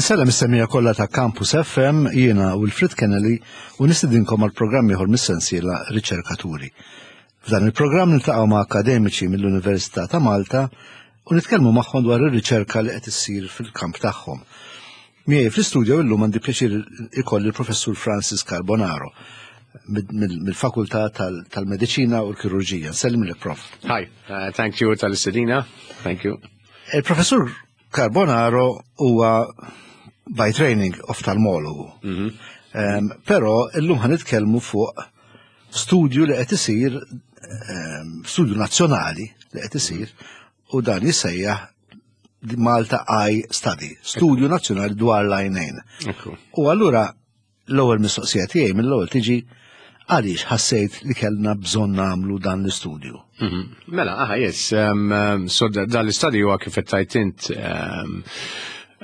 Insellem is-semija kollha ta' Campus FM jiena Wilfrid Kennelly u nistidinkom għal programm ieħor mis-sensiela Riċerkaturi. F'dan il-programm niltaqgħu ma' akademiċi mill-Università ta' Malta u nitkellmu magħhom dwar ir-riċerka li qed issir fil-kamp tagħhom. Miegħi fl-istudio illum għandi pjaċir ikolli l-Professur Francis Carbonaro mill-Fakultà tal-Mediċina u l-Kirurġija. Nsellim prof. Hi, uh, thank you tal-istedina. Thank you. Il-Professur Carbonaro huwa by training oftalmologu. Mm -hmm. um, però illum ħan nitkellmu fuq studju li qed isir um, studju nazzjonali li qed isir u dan jissejjaħ Malta Eye Study, studju nazzjonali dwar l-għajnejn. U allura L-ewwel mistoqsija tiegħi mill-ewwel tiġi għaliex ħassejt li kellna bżonn nagħmlu dan l-istudju. Mhm. Mela, aha, yes. Um, um, so dan l-istudju huwa kif qed tgħid int um,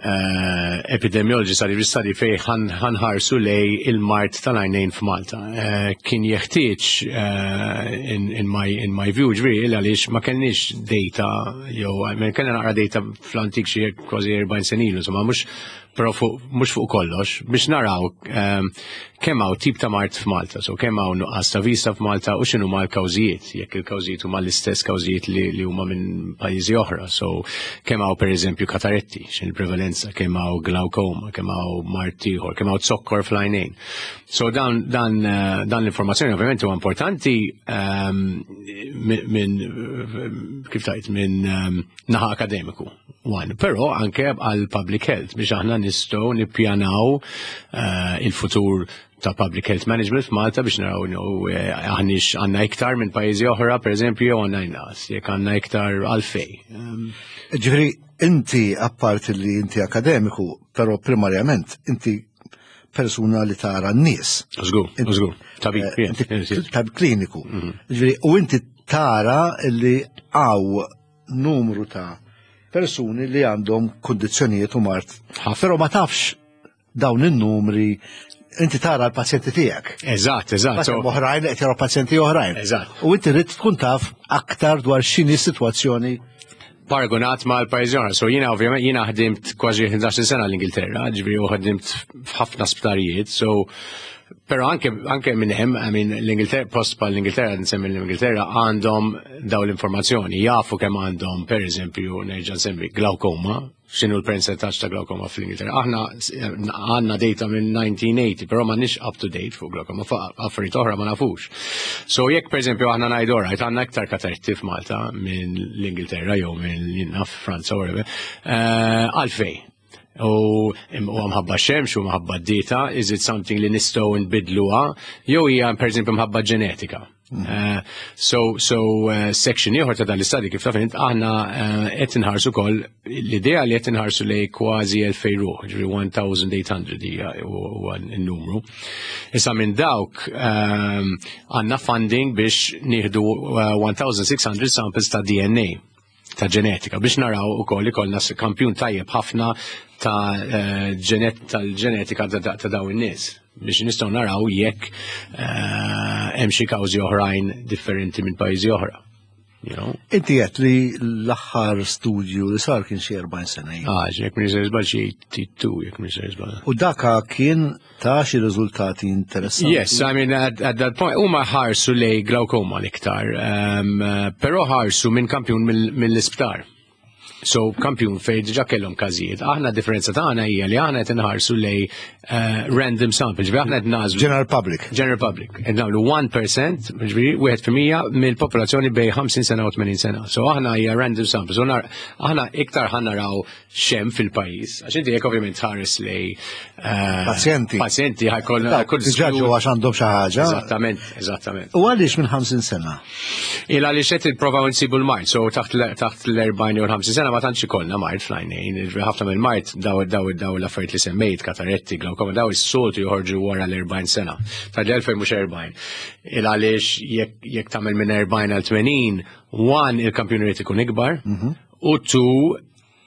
uh, epidemiology study, study fej ħanħarsu lej il-mart tal-għajnejn f'Malta. Uh, kien jeħtieġ uh, in, in, my, in my view ġviri għaliex ma kellniex data jew kellna naqra data fl-antik xi kważi 40 senilu, insomma mhux però fuq mhux fuq kollox biex naraw ehm, kemm hawn tip ta' mart f'Malta, so kemm hawn nuqqas ta' vista f'Malta u x'inhu ma l-kawżijiet, jekk il-kawżijiet huma l-istess kawżijiet li, li huma minn pajjiżi oħra. So kemm hawn pereżempju kataretti, x'in il-prevalenza, kemm hawn glaukoma, kemm hawn mart ieħor, kemm hawn zokkor fl-għajnejn. So dan, dan, eh, dan l-informazzjoni ovvjament huwa importanti ehm, minn kif tajt minn ehm, naħa akademiku. One, però anke għal public health biex aħna nistgħu nippjanaw uh, il-futur ta' public health management f'Malta biex naraw eh, aħniex għandna iktar minn pajjiżi oħra, pereżempju, jew għandna inqas, jekk għandna iktar għalfej. Ehm, Ġifieri inti apparti li inti akademiku, però primarjament inti persuna li tara n-nies. Żgur, żgur, tabib, eh, tabib kliniku. Mhm. Ġifieri, u inti tara li għaw numru ta' persuni li għandhom kundizzjonijiet u mart. Però ma tafx dawn in-numri inti tara l-pazjenti tiegħek. Eżatt, eżatt. Oħrajn qed jaraw pazjenti oħrajn. Eżatt. U inti rrid tkun taf aktar dwar x'inhi s-sitwazzjoni paragonat ma l-pajjiżi oħra. So jiena ovvjament jiena ħdimt kważi 11 sena l-Ingilterra, ġifieri u ħdimt f'ħafna sptarijiet, so Pero anke, anke minn hemm, I mean, l-Ingilterra, post pa l-Ingilterra, nsemmi l-Ingilterra, għandhom daw l-informazzjoni, jafu kemm għandhom, per eżempju, nerġa' nsemmi glaukoma, x'inhu l-percentaġġ ta' glaukoma fl-Ingilterra. Aħna għandna data minn 1980, però ma nix up to date fuq glaukoma, fuq affarijiet oħra ma nafux. So jekk per eżempju aħna ngħidu right, għandna iktar katarti f'Malta minn l-Ingilterra jew minn naf Franza whatever, eh, għalfej. U mħabba xemx u mħabba d-dieta, is it something li nistgħu nbidluha, jew hija pereżempju mħabba ġenetika. Mm. Eh, so, so uh, section ieħor ta' dan l-istadju kif taf int aħna eh, qed inħarsu wkoll l-idea li qed inħarsu lej kważi 2000 ruħ, ġifieri 1800 hija huwa n-numru. Issa minn dawk għandna funding biex nieħdu 1600 samples ta' DNA ta' ġenetika biex naraw ukoll ikollna kampjun tajjeb ħafna ta' eh, tal-ġenetika ta' dawn in-nies biex nistgħu naraw jekk eh, hemm xi kawżi oħrajn differenti minn pajjiżi oħra. You know? Inti qed li l-aħħar studju li sar kien xi 40 sena. Ah, jekk minn żball xi 82 jekk minn żball. U daka kien ta' xi riżultati interessanti. Yes, I mean, at, at that point, huma ħarsu lej glaukoma l-iktar, um, però ħarsu minn kampjun mill-isptar. So, kampjun fej diġa kellhom każijiet. Aħna differenza tagħna hija li aħna qed inħarsu lej uh, random sample, ġifieri aħna qed nażlu. General public. General public. Qed nagħmlu 1%, ġifieri wieħed fil-mija mill-popolazzjoni bej 50 sena u 80 sena. So aħna hija random sample. So aħna iktar ħa naraw xem fil-pajjiż. Għax inti jekk ovvjament tħares lej eh, pazjenti. Pazjenti ħajkoll kull ġaġu għax għandhom xi ħaġa. Eżattament, eżattament. U għaliex minn 50 sena? Il għaliex qed ipprovaw insibu l-mart, so taħt l-40 u l-50 sena ma tantx ikollna mart fl-għajnejn. Ħafna mill-mart daw daw daw l-affarijiet li semmejt, kataretti, glaukoma, daw is-soltu joħorġu wara l-40 sena. Ta' l-2000 mhux 40. Il għaliex jekk tagħmel minn 40 għal 80, one il-kampjun irid ikun ikbar, mhm. u two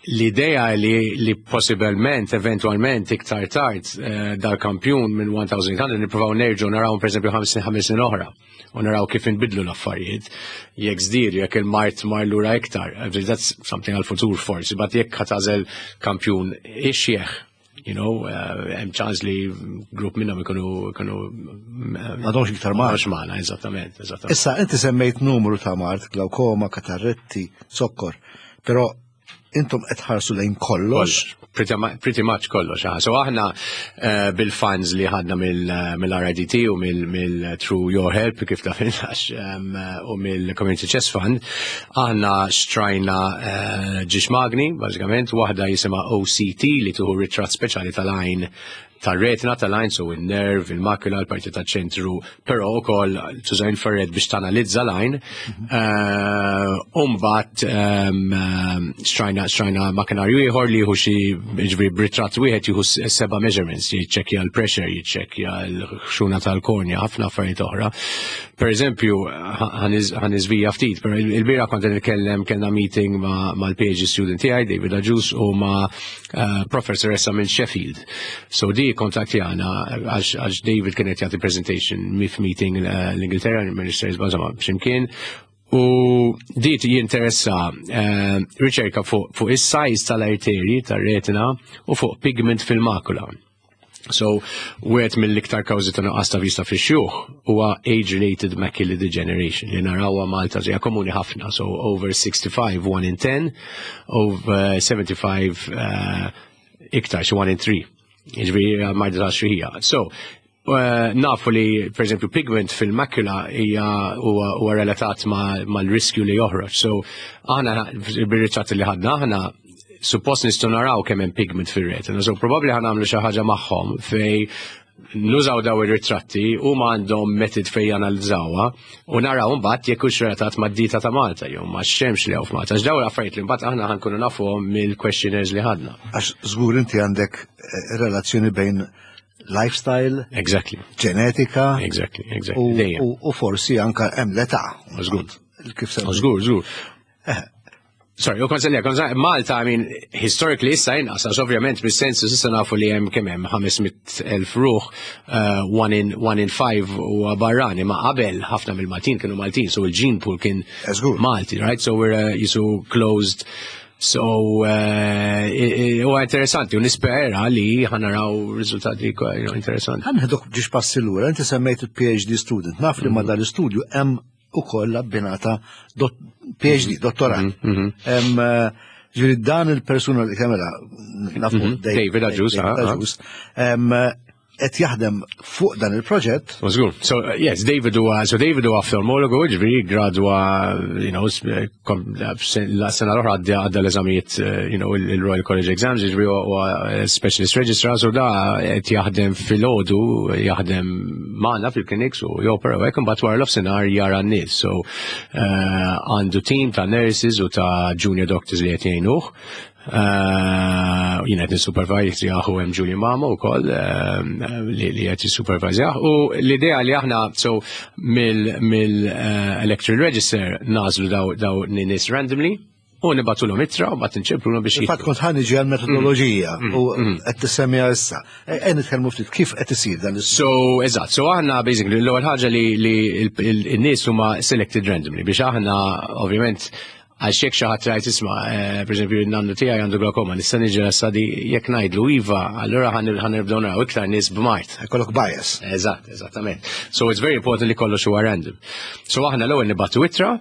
l-idea li, li possibilment, eventualment, iktar tard, eh, dal-kampjun minn 1800 nippruvaw nerġgħu naraw pereżempju 55 snin oħra u naraw kif inbidlu l-affarijiet. Jekk żdiedu, jekk il-mart mar lura iktar. Eh, that's something għal-futur forsi, but jekk ħatażel kampjun ixjeħ. Hemm ċans li grupp minnhom ikunu m'għadhomx iktar magħna. M'għadhomx magħna, eżattament, eżattament. Issa inti semmejt numru ta' mard, glaukoma, katarretti, zokkor, però intom qed tħarsu lejn kollox. Pretty much kollox. So aħna bil-funds li ħadna mill-RIDT u mill Through Your Help, kif taf għax, u mill-Community Chest Fund, aħna xtrajna ġiex magni, bażikament, waħda jisimha OCT li tieħu ritratt speċjali tal-għajn, tal-retina tal-għajn, so il-nerv, il-makula, l-parti tal-ċentru, però ukoll tuża infrared biex tanalizza l-għajn. Umbat xtrajna makinarju ieħor li jieħu xi, ġifieri b'ritratt wieħed jieħu seba' measurements, jiċċekkja l-pressure, jiċċekkja l-ħxuna tal-kornja, ħafna affarijiet oħra. Per eżempju, ħa niżvija ftit, però il-bieraħ kont nitkellem, kellna meeting mal-PhD student tiegħi, David Agius, u ma' professoressa minn Sheffield. So di kontattjana għax David kienet jagħti presentation mif meeting l-Ingilterra, Ministers, insomma, x'imkien. U di jinteressa riċerka fuq is-size tal-arterji tar-retina u fuq pigment fil-makula. So, wieħed mill-iktar kawżi ta' nuqqas ta' vista fix-xjuħ huwa age-related macular degeneration li narawha Malta hija komuni ħafna. So, over 65, 1 in 10, over 75, iktar, xi 1 in 3. Jiġifieri marda ta' xjuħija. So, nafu li, per eżempju, pigment fil-makula hija huwa relatat mal-riskju li joħroġ. So, aħna bir-ritratti li ħadna aħna suppost nistgħu naraw kemm hemm pigment fir-retina. So probabbli ħa nagħmlu xi ħaġa magħhom fej nużaw daw ir-ritratti u ma għandhom method fej janalizzawha u naraw mbagħad jekk hux relatat mad-dieta ta' Malta jew ma' xemx li hawn f'Malta. Għax daw l-affarijiet li mbagħad aħna ħa nkunu nafuhom mill-questionnaires li ħadna. Għax żgur inti għandek relazzjoni bejn lifestyle, ġenetika, u forsi anka hemm l-età. Żgur. Kif semmi? Żgur, żgur. Sorry, u konselja, konselja, Malta, I mean, historically issa inqas, għax ovvjament bis-sensus issa nafu li hemm kemm hemm 500,000 ruħ, one in five u barrani, ma qabel ħafna mill-Maltin kienu Maltin, so il-gene pool kien Malti, right? So we're jisu closed. So, huwa interessanti, u nispera li ħa naraw riżultati interessanti. Ħa neħduk ġiex passi lura, inti semmejt il-PhD student, naf li ma dal-istudju hemm ukoll abbinata PhD, dottorat. Ġifieri dan il-persuna li kemela, nafu David Agius, David Agius, qed jaħdem fuq dan il-proġett. Żgur. So, yes, David huwa, so David huwa oftalmologu, ġifieri gradwa, la sena l-oħra għadda l-eżamijiet, il-Royal College Exams, ġifieri huwa specialist registrar, so da qed jaħdem filgħodu, jaħdem magħna fil-clinics u jopera u hekk, imbagħad wara l-offsinar jara n-nies. So, għandu team ta' nurses u ta' junior doctors li qed jgħinuh. Jien qed nissupervise jaħu hemm Julie Mamo wkoll li qed jissupervise. U l-idea li aħna so mill electoral register nagħżlu daw nies randomly u nibagħtulhom ittra u mbagħad inċemplulhom biex Infatti kont ħa niġi għal-metodoloġija u qed tissemmiha issa. Ejja nitkellmu ftit kif qed isir dan is So, eżatt, so aħna basically l-ewwel ħaġa li n-nies huma selected randomly biex aħna ovvjament għax jekk xi ħadd rajt isma', per eżempju, n-nannu tiegħi għandu glaucoma, nista' niġi study, jekk ngħidlu iva, allura ħa nibdew naraw iktar nies b'mard. Ikollok bias. Eżatt, eżattament. So it's very important li kollox huwa random. So aħna l-ewwel nibagħtu ittra,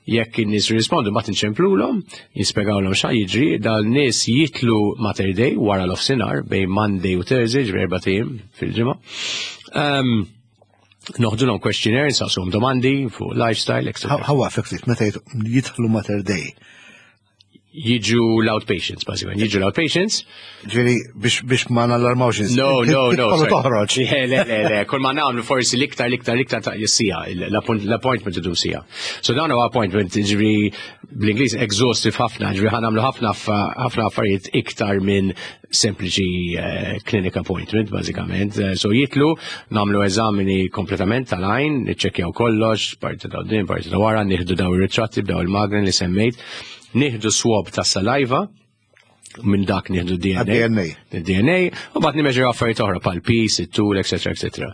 jekk in-nies jirrispondu mbagħad inċemplulhom, jispjegawlhom x'ha jiġri, dal-nies jitilgħu Mater Dei wara l-offsinar bejn Monday u Thursday, ġifieri 4 ijiem fil-ġimgħa. Noħdulhom questionnaire, nsaqsuhom domandi fuq lifestyle, etc. How effective meta jidħlu Mater Dei? Jiġu l-outpatients, basically. Jiġu l-outpatients. Ġifieri, biex ma nallarmawx No, no, no. Tidħol toħroġ. Le, le, le, le. Kull ma nagħmlu forsi l-iktar, l-iktar, l-iktar ta' siegħa, l-appointment idum siegħa. So dan huwa appointment, ġifieri, bl-Ingliż exhaustive ħafna, ġifieri ħa nagħmlu ħafna ħafna affarijiet iktar minn sempliċi clinic appointment, bażikament. So jitilgħu, nagħmlu eżamini kompletament tal-għajn, niċċekkjaw kollox, parti ta' din, parti ta' wara, nieħdu daw ir-ritratti b'daw il-magni li semmejt, nieħdu swab ta' saliva, minn dak nieħdu DNA. DNA. DNA, u mbagħad nimmeġraw affarijiet oħra bħal piż, it-tul, eċetera, eċetera.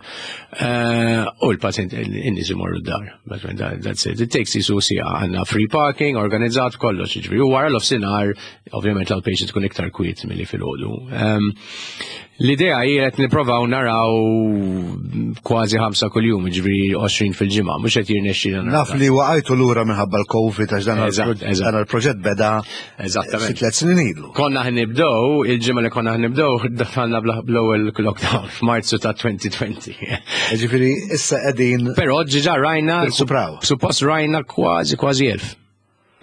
U l-pazjent in-nies imorru d-dar. That's it. It takes jisu siegħa, għandna free parking, organizzat kollox, ġifieri. U wara l-offsinar, ovvjament l-outpatient tkun iktar kwiet milli filgħodu. L-idea hi qed nipprovaw naraw kważi ħamsa kuljum, ġifieri 20 fil-ġimgħa, mhux qed jirnexxilna naraw. Naf li waqajtu lura minħabba l-Covid għax dan dan il-proġett beda Eżattament. Xi tliet snin ilu. Konna ħnibdew, il-ġimgħa li konna ħnibdew, daħalna bl-ewwel lockdown f'Marzu ta' 2020. Ġifieri issa qegħdin. Però ġiġa rajna, suppost rajna kważi kważi 1000.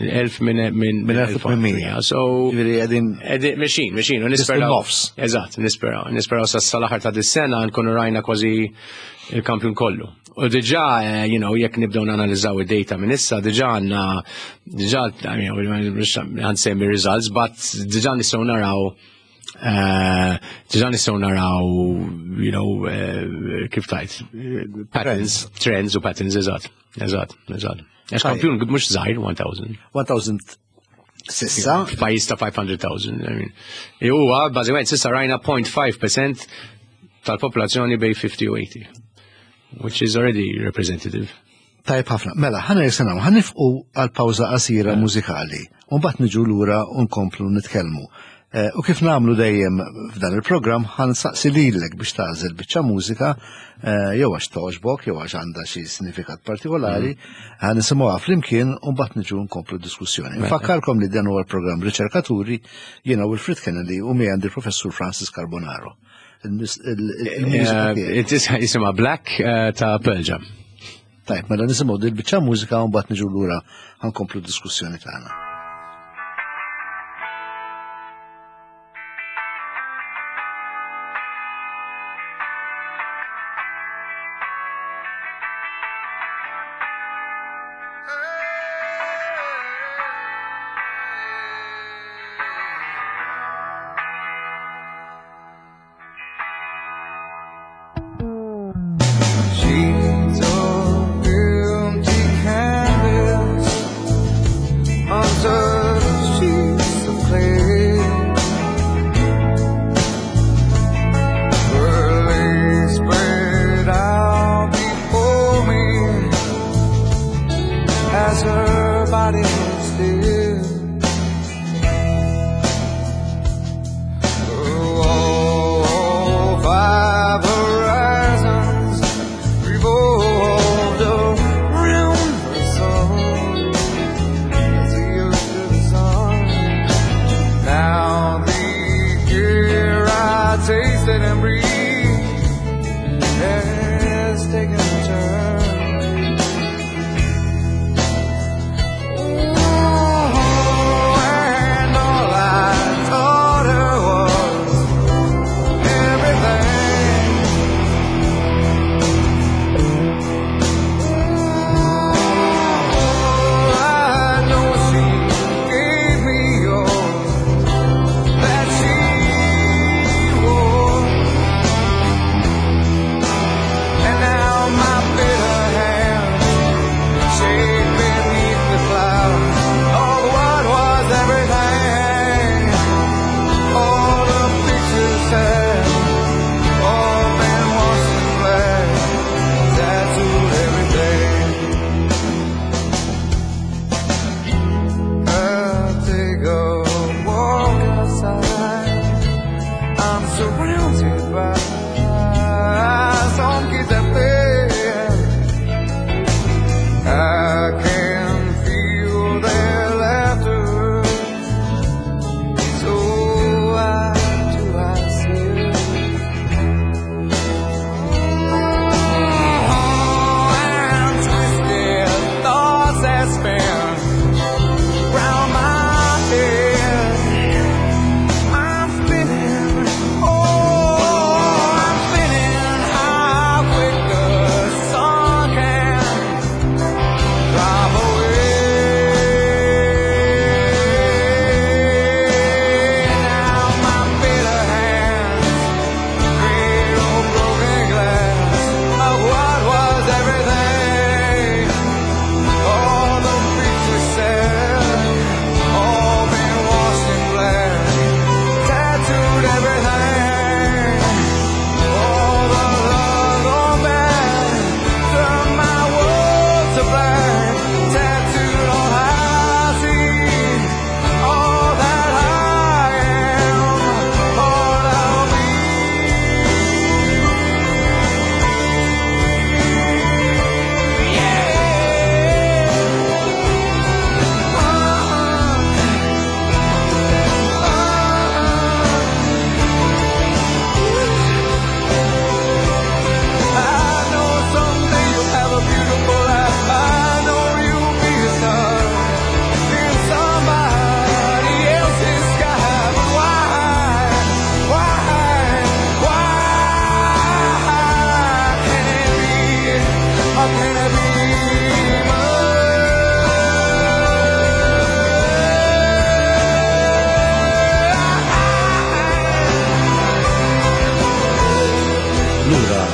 1000 minn minn 1800. So, Ġifieri qegħdin qegħdin mexin, mexin, u nisperaw. Nofs. Eżatt, nisperaw. Nisperaw sa sal-aħħar ta' dis-sena nkunu rajna kważi il-kampjun kollu. U diġà, you know, jekk nibdew nanalizzaw id-data minn issa, diġà għandna, diġà, I mean, għansemmi results, but diġà nistgħu naraw diġà nistgħu naraw, you know, kif tajt, patterns, trends u patterns, eżatt, eżatt, eżatt. Għax kampjun mhux żgħir 1000. 1000 sissa. F'pajjiż ta' 500,000. I mean. Huwa bażikament sissa rajna 0.5% tal-popolazzjoni bej 50 u 80, which is already representative. Tajb ħafna. Mela, ħana jisanaw, ħanifqu għal pawża qasira mużikali, u mbagħad niġu lura u nkomplu nitkellmu. U kif nagħmlu dejjem f'dan il-programm, ħansaqsi lilek biex tagħżel biċċa mużika, jew għax togħġbok, jew għax għandha xi sinifikat partikolari, ħa nisimgħuha flimkien u mbagħad niġu nkomplu d-diskussjoni. Nfakkarkom li dan huwa l-programm Riċerkaturi, jiena Wilfred Kennedy u miegħi għandi l-Professur Francis Carbonaro. Il-mużika tiegħek. Jisimha Black ta' Pearl Jam. Tajb, mela nisimgħu dil biċċa mużika u mbagħad niġu lura ħankomplu d-diskussjoni tagħna. Sheets of empty canvas on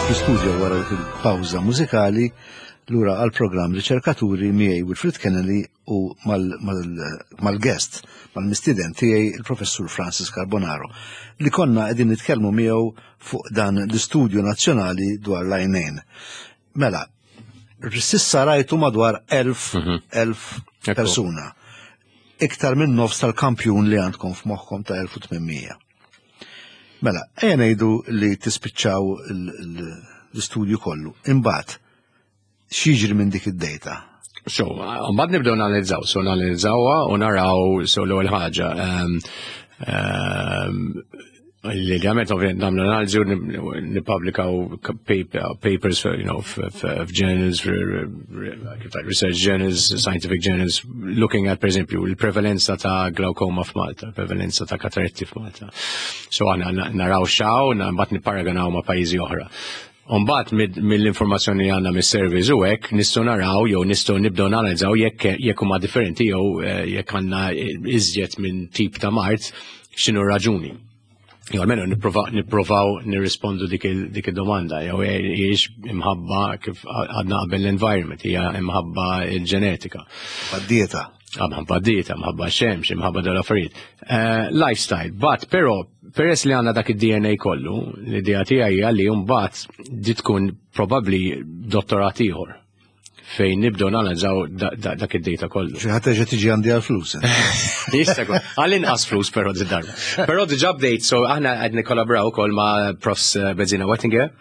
fl-istudio wara dik il-pawża mużikali lura għal programm Riċerkaturi miegħi Wilfred Kennedy u mal-guest, mal-mistieden tiegħi il-Professur Francis Carbonaro li konna qegħdin nitkellmu miegħu fuq dan l-istudju nazzjonali dwar l-għajnejn. Mela, sissa rajtu madwar 1000 persuna. Iktar minn nofs tal-kampjun li għandkom f'moħħkom ta' 1800. Mela, ejja ngħidu li tispiċċaw l-istudju kollu. Imbagħad, x'jiġri minn dik id-data? So, mbagħad nibdew analizzaw, so analizzawha u naraw so l-ewwel ħaġa. Li għamet ovvijament nagħmlu analiżi u nippubblikaw papers f'journals, research journals, scientific journals, looking at, per eżempju, il-prevalenza ta' glaucoma f'Malta, prevalenza ta' kataretti f'Malta. So aħna naraw xaw, mbagħad nipparaganaw ma' pajjiżi oħra. Umbagħad mill-informazzjoni li għandna mis-surveys u hekk nistgħu naraw jew nistgħu nibdew nanalizzaw jekk huma differenti jew jekk għandna iżjed minn tip ta' mard, x'inhu raġuni. Jew almenu nipprovaw nirrispondu dik id-domanda, jew hijiex imħabba kif għadna qabel l-environment, hija imħabba il-ġenetika. Dieta. Imħabba dieta, imħabba xemx, imħabba dal-affarijiet. Lifestyle, but però peress li għandna dak id-DNA kollu, l-idea tiegħi hija li mbagħad di tkun probabbli dottorat ieħor fejn nibdew nanalizzaw dak id-data kollu. Xi ħadd terġa' tiġi għandi għal-flus. Jista' jkun. Għall-inqas flus però di darba. Però diġà bdejt, so aħna qed nikkolaboraw ukoll ma' Profs Bezzina Wettinger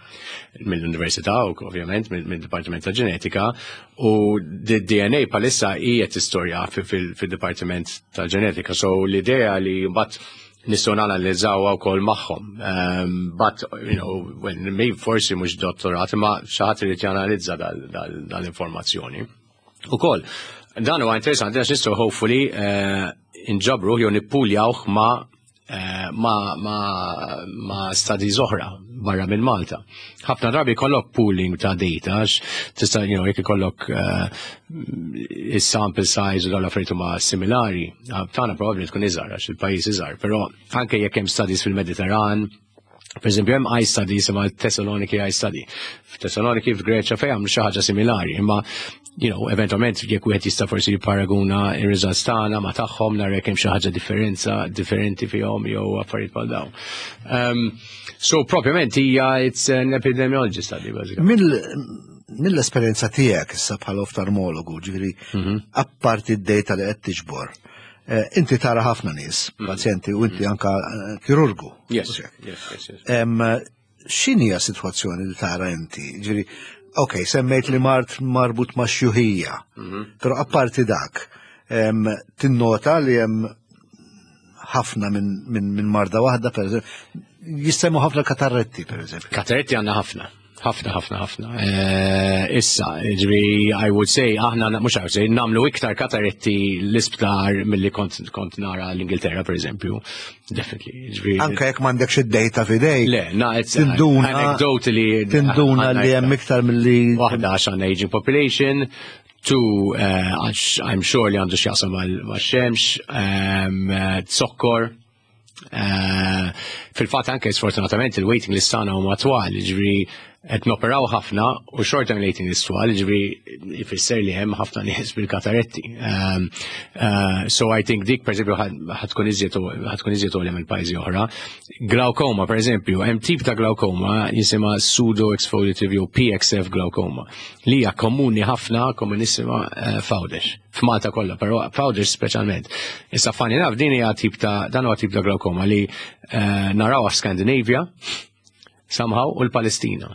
mill-Università u ovvjament mill-Dipartiment ta' Ġenetika u d-DNA palissa hija tistorja fil-Dipartiment ta' Ġenetika. So l-idea li mbagħad nistgħu nanalizzawha wkoll magħhom. But when maybe forsi mhux dottorat, imma xi ħadd irid janalizza dal-informazzjoni. Ukoll, dan huwa interessanti għax nistgħu hopefully inġabru jew nippuljawh ma' studies oħra barra minn Malta. Ħafna drabi jkollok pooling ta' data, għax tista' jekk ikollok is-sample size u dawn l-affarijiet huma similari, tagħna probabbli tkun iżgħar għax il-pajjiż iżgħar, però anke jekk hemm studies fil-Mediterran, per eżempju hemm eye study jisimha Thessaloniki eye study. F'Thessaloniki f'Greċja fejn għamlu xi ħaġa similari, imma eventualment jekk wieħed jista' forsi jipparaguna ir-results tagħna ma' tagħhom nara jekk hemm xi ħaġa differenza differenti fihom jew affarijiet bħal dawn. So propjament hija it's an epidemiology study basically. Mill-esperjenza tiegħek issa bħala oftalmologu, ġifieri apparti d-data li qed tiġbor, inti tara ħafna nies, pazjenti, u inti anka kirurgu. Yes, yes. X'inhi sitwazzjoni li tara inti? Ġifieri, ok, semmejt li mard marbut ma' xjuħija, però apparti dak, tinnota li hemm ħafna minn marda waħda, per eżempju, jissemmu ħafna katarretti, per eżempju. Katarretti għandna ħafna. Ħafna, ħafna, ħafna. Issa, ġifieri, I would say, aħna, mhux I would say, nagħmlu iktar katarretti l-isptar milli kont nara l-Ingilterra, per eżempju. Definitely. Ġifieri, Anka jekk m'għandekx id-data f'idejk. Le, na, it's anecdotally Tinduna għandna li hemm iktar. iktar milli Waħda għax għandna aging population, two, għax I'm sure li għandu x'jaqsam mal-xemx, zokkor. Fil-fatt anke sfortunatament il-waiting list tagħna huma twal, ġifieri qed noperaw ħafna u short term waiting list twal, ġifieri jfisser li hemm ħafna nies bil-kataretti. So I think dik per eżempju ħa tkun iżjed għolja mill-pajjiżi oħra. Glaucoma per eżempju, hemm tip ta' glaucoma jisimha pseudo-exfoliative jew PXF glaucoma li hija komuni ħafna, komunissima f'Għawdex. F'Malta kollha, però f'Għawdex speċjalment. Issa funny enough, din hija tip ta' dan huwa tip ta' glaucoma li narawha f'Skandinavia somehow u l-Palestina.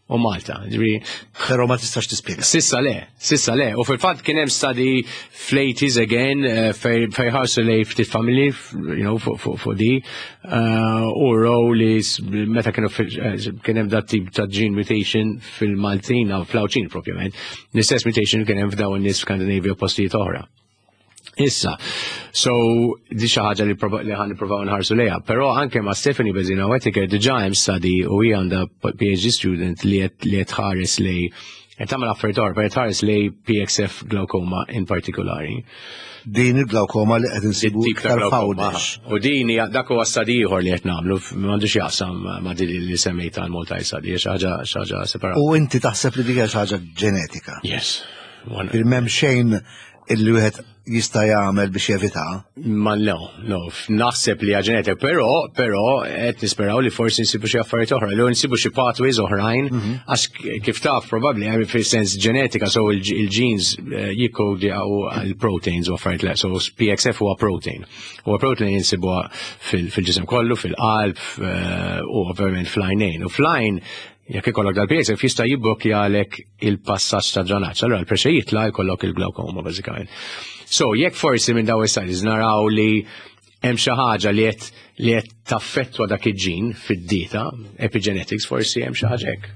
U Malta, ġifieri. Però ma tistax tispjega. Sissa le, sissa le. U fil-fatt kien hemm study fl-80s again, fej ħarsu lej ftit familji, fuq di, u raw li meta kienu kien hemm dat tip ta' gene mutation fil-Maltin, fl-Għawdxin propjament, l-istess mutation kien hemm f'dawn in-nies f'Skandinavia u postijiet oħra. Issa, so di xi ħaġa li ħa nippruvaw nħarsu lejha, però anke ma' Stephanie Bezzina Wettinger diġà hemm study u hija għandha PhD student li qed ħares lej Qed tagħmel affarijiet oħra, però tħares lejn PXF glaucoma in partikolari. Din il-glaukoma li qed insibu iktar f'Għawdex. U din hija dak huwa study ieħor li qed nagħmlu, m'għandux jaqsam ma' din li semmejt għal Malta Study, xi ħaġa separata. U inti taħseb li dik hija xi ħaġa ġenetika? Yes. M'hemm xejn illi wieħed jista' jagħmel biex jevita? Ma no, no, naħseb li ġenetika, però però qed nisperaw li forsi nsibu xi affarijiet oħra, li nsibu xi pathways oħrajn, għax kif taf probabbli hemm fis-sens ġenetika, so il-genes eh, jikkodjaw għal-proteins u affarijiet le, so PXF huwa protein. Huwa protein jinsibuha fil-ġisem kollu, fil-qalb eh, u ovvjament fl-għajnejn. U fl-għajn jekk ikollok dal-PXF jista' jibblokjalek il-passaġġ ta' dranaġġ. Allura l-pressure jitla' jkollok il-glaucoma bażikament. So jekk forsi minn daw is-studies naraw li hemm xi ħaġa li qed li qed taffettwa dak il-ġin fid-dieta, epigenetics, forsi hemm xi ħaġa hekk.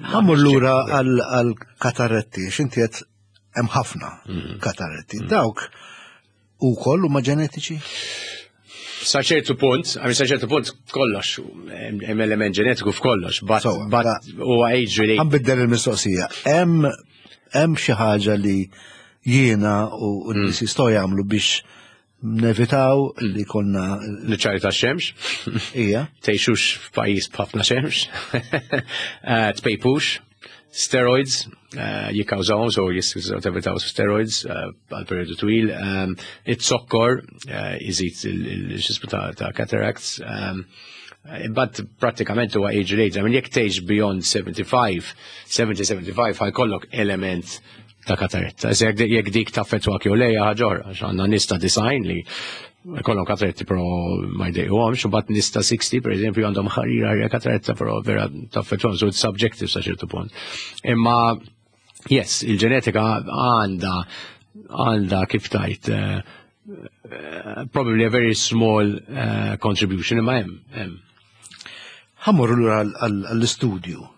Ħa mmur lura għal kataretti, x'inti qed hemm ħafna kataretti. Dawk ukoll huma ġenetiċi? Sa ċertu punt, għami sa ċertu punt kollox, hemm element ġenetiku f'kollox, but, but huwa age related. Ħa nbiddel il-mistoqsija. Hemm xi ħaġa li jiena u n-nies jistgħu jagħmlu biex nevitaw li konna Niċċari ta' xemx. Ija. Tgħixux f'pajjiż b'ħafna xemx. Eh, tpejpux. Steroids eh, jikkawżawhom, so jistgħu tevitaw steroids eh, għal periodu twil. It-zokkor iżid il-xismu ta' cataracts. But prattikament huwa age related. I mean, jekk tgħix beyond 75, 70-75 ħa jkollok element ta' kataretta. Jekk dik taffettwak jew lejja ħaġa oħra, għax għandna nies ta' 90 li kollhom kataretti però ma jdejquhomx, u mbagħad nies ta' 60 per eżempju għandhom ħarira ħarira kataretta però vera taffettwahom, so it's subjective sa ċertu punt. Imma yes, il-ġenetika għandha għandha kif tajt probably a very small contribution imma hemm hemm. Ħa mmorru lura għall-istudju.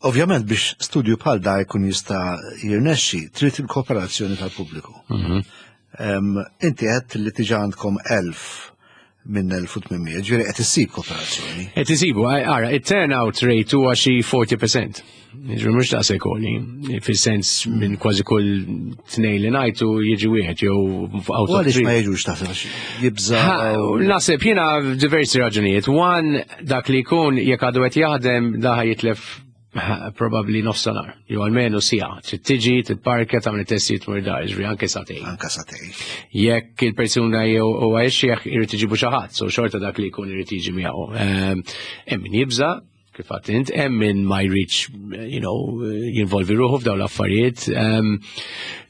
Ovvjament biex studju bħal da jkun jista' jirnexxi, trid il-kooperazzjoni tal-pubbliku. Inti qed li diġà għandkom 1000 minn 1800, ġifieri qed issib kooperazzjoni. Qed isibu, ara, it-turnout rate huwa xi 40%. Ġifieri mhux daqshekk għoli, fis-sens minn kważi kull tnejn li ngħidu jiġi wieħed jew out of Għaliex ma jiġux taħseb jibża'? Naħseb jiena diversi raġunijiet. One, dak li jkun jekk għadu qed jaħdem daħa jitlef probably nofs nhar, jew almenu siegħa. Trid tiġi, tipparkja, tagħmel testijiet tmur dar, ġifieri anke sagħtejn. Anke sagħtejn. Jekk il-persuna jew huwa ixjeħ irid iġibu xi ħadd, so xorta dak li jkun irid jiġi miegħu. Hemm min jibża', kif għedt int, hemm min ma jridx, jinvolvi ruħu f'dawn l-affarijiet.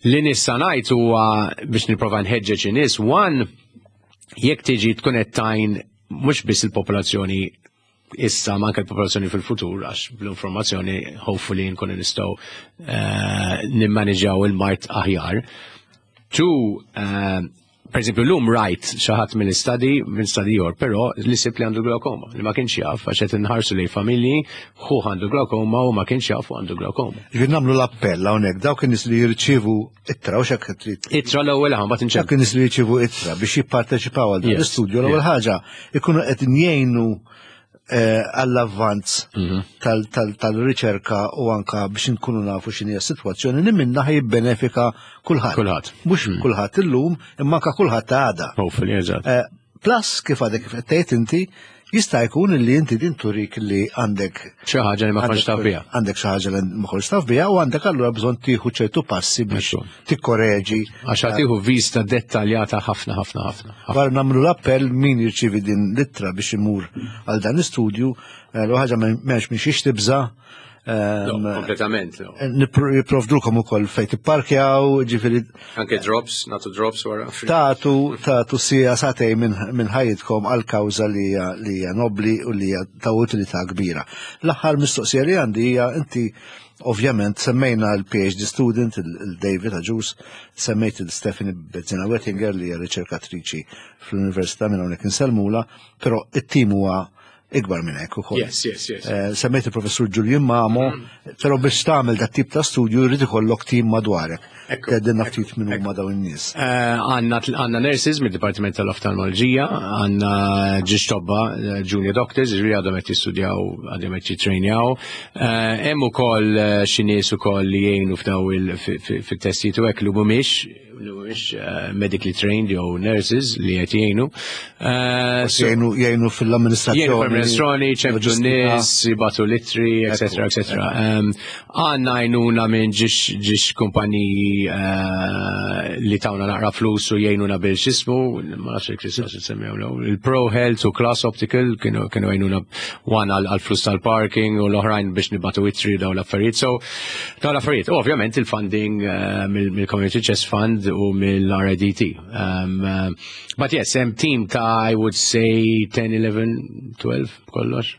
Li nista' ngħid huwa biex nipprova nħeġġeġ in-nies, one, jekk tiġi tkun qed tgħin mhux biss il-popolazzjoni issa ma anke l-popolazzjoni fil-futur għax bl-informazzjoni hopefully nkunu nistgħu nimmaniġaw il-mard aħjar. Two, per eżempju, l-lum rajt xi ħadd mill-study, minn study ieħor, però li sib li għandu glaukoma, li ma kienx jaf, għax qed inħarsu lejn familji, ħu għandu glaukoma u ma kienx jaf u għandu glaukoma. Ġifieri nagħmlu l-appell hawnhekk dawk in-nies li jirċievu ittra u x'hekk trid. Ittra l-ewwel ħa mbagħad Dawk in-nies li jirċievu ittra biex jipparteċipaw għal dan l-istudju l-ewwel ħaġa ikunu qed jgħinu għall-avvanz tal-riċerka u anka biex nkunu nafu x'inhi s-sitwazzjoni li minna jibbenefika kulħadd. Kulħadd. Mhux kulħadd illum, imma anka kulħadd għada. Hopefully, eżatt. Plus, kif għadek kif qed tgħid inti, jista' jkun li inti din turik li għandek xi ħaġa li ma kontx taf biha. Għandek xi ħaġa li ma kontx taf biha u għandek allura bżonn tieħu ċertu passi biex tikkoreġi. Għax ħa tieħu vista dettaljata ħafna ħafna ħafna. Wara nagħmlu l-appell min jirċievi din l-ittra biex imur għal dan l-istudju, l ħaġa m'hemmx minn xiex tibża'. Kompletament. Jipprovdulkom ukoll fejn tipparkjaw, ġifieri. Anke drops, nagħtu drops wara. Tagħtu, tagħtu siegħa sagħtejn minn ħajjitkom għal kawża li hija nobli u li hija ta' utilità kbira. L-aħħar mistoqsija li għandi hija inti ovvjament semmejna l-PhD student, il-David Agius, semmejt il-Stephanie Bezzina Wettinger li hija riċerkatriċi fl-Università minn hawnhekk insellmula, però it-tim huwa ikbar minn hekk ukoll. Yes. Semmejt il-professur Julian Mamo, però biex tagħmel dat tip ta' studju jrid ikollok tim madwarek. Tgħidilna ftit minn huma dawn in-nies. Għandna nurses mid-Dipartiment tal-Oftalmoloġija, għandna żewġ tobba, junior doctors, ġifieri għadhom qed jistudjaw, għadhom qed jitrejnjaw. Hemm ukoll xi nies ukoll li jgħinu f'daw fit-testijiet u hekk li mhumiex medically trained jew nurses li qed jgħinu. Jgħinu fil-amministrazzjoni. Jgħinu fil-amministrazzjoni, ċemplu nies, jibagħtu l-ittri, etc. etc. Għandna għajnuna minn żewġ kumpaniji li tawna naqra flus u jgħinuna bil x'jismu, ma nafx jekk tistax issemmihom il-Pro Health u Class Optical kienu għajnuna one għal flus tal-parking u l-oħrajn biex nibagħtu ittri, daw l-affarijiet. So, daw l-affarijiet. U ovvjament il-funding mill-Community Chest Fund u mill-RIDT. But yes, hemm team ta' I would say 10, 11, 12 kollox.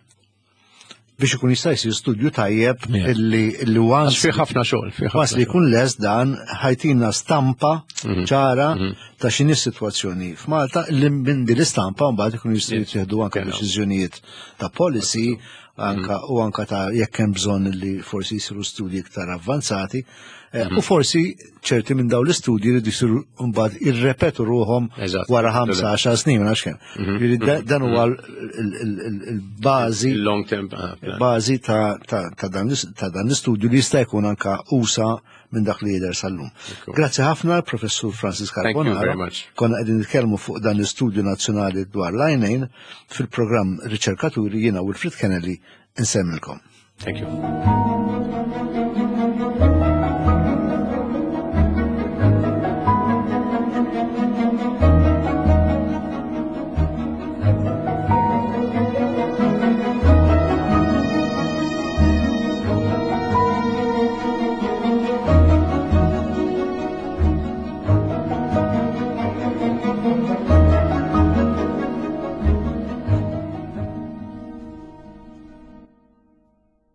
Biex ikun jista' jsir studju tajjeb illi once fi ħafna xogħol, fi ħafna li jkun lest dan ħa jtina stampa ċara ta' x'inhi s-sitwazzjoni f'Malta, li minn din l-istampa mbagħad ikun jistgħu jittieħdu anke deċiżjonijiet ta' policy anka u anka ta' jekk hemm bżonn li forsi jsiru studji iktar avvanzati u forsi ċerti minn dawn l-istudji li jsiru mbagħad irrepetu ruħhom wara 5-10 snin, ma nafx kemm. Jiġifieri dan huwa il-bażi Long term plan. Bażi ta' dan l-istudju li jista' jkun anka usa' minn dak li jidher sal-lum. Grazzi ħafna, Professur Francis Thank you Carbonaro. Very much. Konna qegħdin nitkellmu fuq dan l-istudju nazzjonali dwar l-għajnejn fil-programm Riċerkaturi. Jiena Wilfred Kennedy insemmilkom. Thank you.